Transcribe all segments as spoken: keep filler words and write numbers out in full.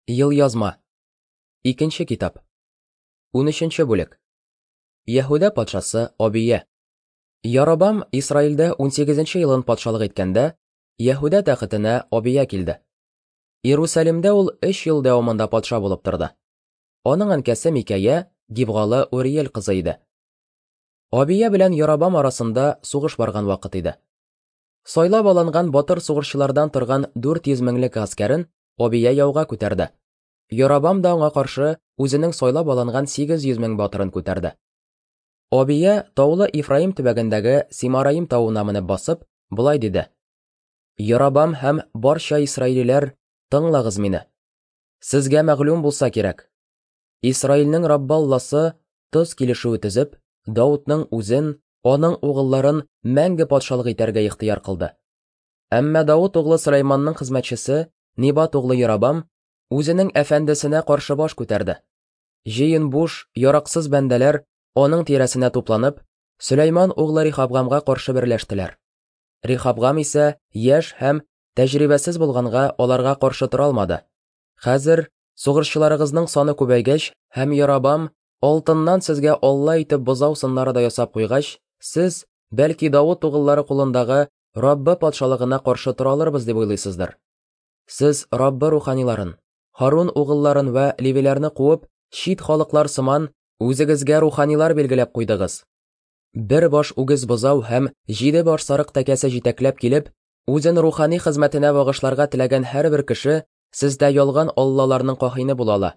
Елъязма. Икенче китап. Унөченче бүлек. Яһүдә патшасы Абия. Яробам Исраилдә унсигезенче елын патшалык иткәндә, Яһүдә тәхетенә Абия килде. Иерусалимдә ул өч ел дәвамында патша булып торды. Аның әнкәсе Микәя Гибгалы Уриел кызы иде. Абия белән Яробам арасында сугыш барган вакыт иде. Сайлап алынган батыр сугышчылардан торган дүрт йөз меңлек гаскәрен Абия яуга күтәрде. Яробам да аңа каршы үзенең сайлап алынган сигез йөз мең батырын күтәрде. Абия таулы Ифраим төбәгендәге Симараим тавына менеп басып, болай диде: Яробам һәм барча исраилиләр, тыңлагыз мине. Сезгә мәгълүм булса кирәк, Исраилнең Раббы Алласы тоз килешүе төзеп, Даудның үзен, аның угылларын мәңге патшалык итәргә ихтыяр кылды. Әмма Дауд углы Сөләйманның хезмәтчесе Нибат углы Яробам үзенең әфәндесенә каршы баш күтәрде. Җыен буш, яраксыз бәндәләр аның тирәсенә тупланып, Сөләйман углы Рихабгамга каршы берләштеләр. Рихабгам исә яшь һәм тәҗрибәсез булганга аларга каршы тора алмады. Хәзер сугышчыларыгызның саны күбәйгәч һәм Яробам алтыннан сезгә Алла итеп бозау сыннары да ясап куйгач, сез, бәлки, Дауд угыллары кулындагы Раббы патшалыгына каршы тора алырбыз дип уйлыйсыздыр. Сез Раббы руханиларын, Харун угылларын вә левиләрне куып, чит халыклар сыман үзегезгә руханилар билгеләп куйдыгыз. Бер баш үгез бозау һәм җиде баш сарык тәкәсе җитәкләп килеп, үзен рухани хезмәтенә багышларга теләгән һәрбер кеше сездә ялган аллаларның каһине була ала.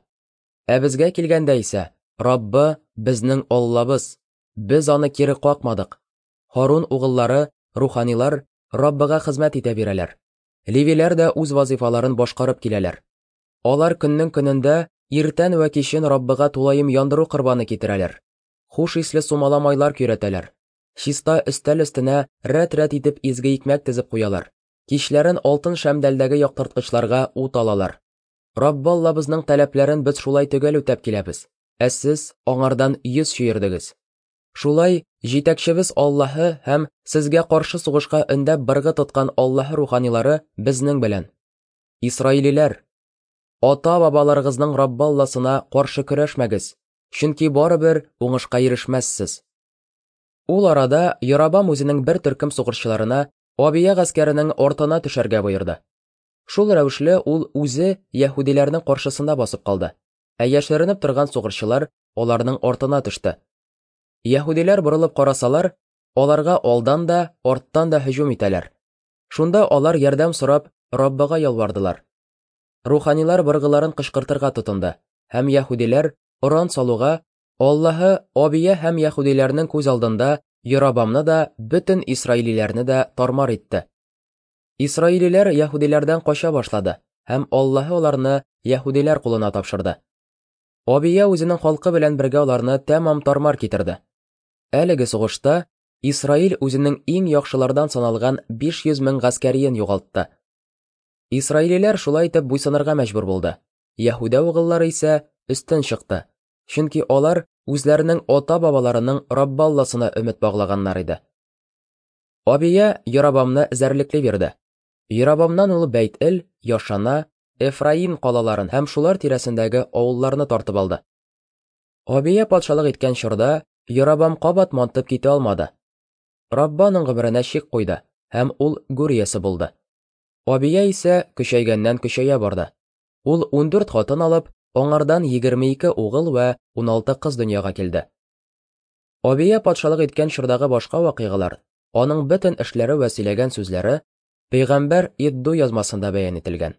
Ә безгә килгәндә исә, Раббы безнең Аллабыз, без аны кире какмадык. Харун угыллары, руханилар Раббыга хезмәт итә бирәләр. Левиләр дә үз вазифаларын башкарып киләләр. Алар көннең көнендә иртән вә кичен Раббыга тулаем яндыру корбаны китерәләр. Хуш исле сумала майлар көйрәтәләр. Чиста өстәл өстенә рәт-рәт итеп изге икмәк тезеп куялар. Кичләрен алтын шәмдәлдәге яктырткычларга ут алалар. Раббы Аллабызның таләпләрен без шулай төгәл үтәп киләбез. Ә сез аңардан йөз чөердегез. Шулай җитәкчебез Аллаһы һәм сезгә каршы сугышка өндәп быргы тоткан Аллаһы руханилары безнең белән. Исраилиләр, ата-бабаларыгызның Раббы Алласына каршы көрәшмәгез, чөнки барыбер уңышка ирешмәссез. Ул арада Яробам үзенең бер төркем сугышчыларына Абия гаскәренең артына төшәргә боерды. Шул рәвешле ул үзе яһүдиләрнең каршысында басып калды, ә яшеренеп торган сугышчылар аларның артына төште. Яһүдиләр борылып карасалар, аларга алдан да, арттан да һөҗүм итәләр. Шунда алар ярдәм сорап Раббыга ялвардылар. Руханилар быргыларын кычкыртырга тотынды, һәм яһүдиләр оран салуга Аллаһы Абия һәм яһүдиләрнең күз алдында Яробамны да, бөтен исраилиләрне дә тармар итте. Исраилиләр яһүдиләрдән кача башлады, һәм Аллаһы аларны яһүдиләр кулына тапшырды. Абия үзенең халкы белән бергә аларны тәмам тармар китерде. Әлеге сугышта Исраил үзенең иң яхшылардан саналган биш йөз мең гаскәриен югалтты. Исраилиләр шулай итеп буйсынырга мәҗбүр булды. Яһүдә угыллары исә өстен чыкты, чөнки алар үзләренең ата-бабаларының Раббы Алласына өмет баглаганнар иде. Абия Яробамны эзәрлекли бирде. Яробамнан ул Бәйт-Эл, Яшана, Эфраим калаларын һәм шулар тирәсендәге авылларны тартып алды. Абия патшалык иткән чорда Яробам кабат мантып китә алмады. Раббы аның гомеренә чик куйды, һәм ул гүр иясе булды. Абия исә көчәйгәннән көчәя барды. Ул ундүрт хатын алып, аңардан егерме ике угыл вә уналты кыз дөньяга килде. Абия патшалык иткән чордагы башка вакыйгалар, аның бөтен эшләре вә сөйләгән сүзләре пәйгамбәр Идду язмасында бәян ителгән.